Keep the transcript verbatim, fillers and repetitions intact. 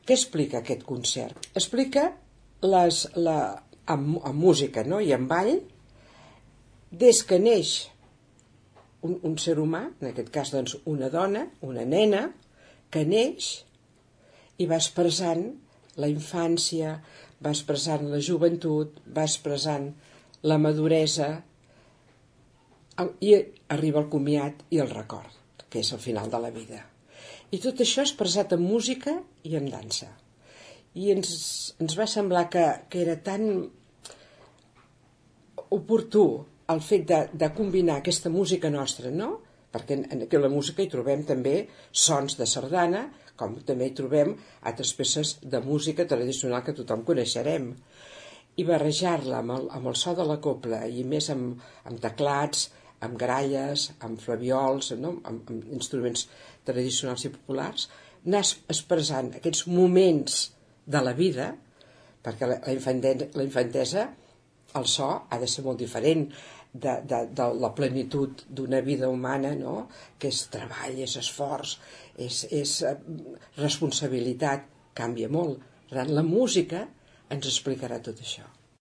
Què explica aquest concert? Explica les, la, amb, amb música, no? I amb ball, des que neix un, un ser humà, en aquest cas doncs una dona, una nena, que neix i va expressant la infància, va expressant la joventut, va expressant la maduresa, i arriba el comiat i el record, que és el final de la vida. I tot això expressat en música i en dansa. I ens, ens va semblar que, que era tan oportú el fet de, de combinar aquesta música nostra, no? Perquè en, en la música hi trobem també sons de sardana, com també hi trobem altres peces de música tradicional que tothom coneixerem. I barrejar-la amb, el, amb el so de la cobla i més amb, amb teclats, amb gralles, amb flaviols, no? amb, amb instruments tradicionals i populars, anar expressant aquests moments de la vida, perquè la, la, infantesa, la infantesa, el so ha de ser molt diferent de, de, de la plenitud d'una vida humana, no? Que és treball, és esforç, és, és responsabilitat, canvia molt. La música ens explicarà tot això.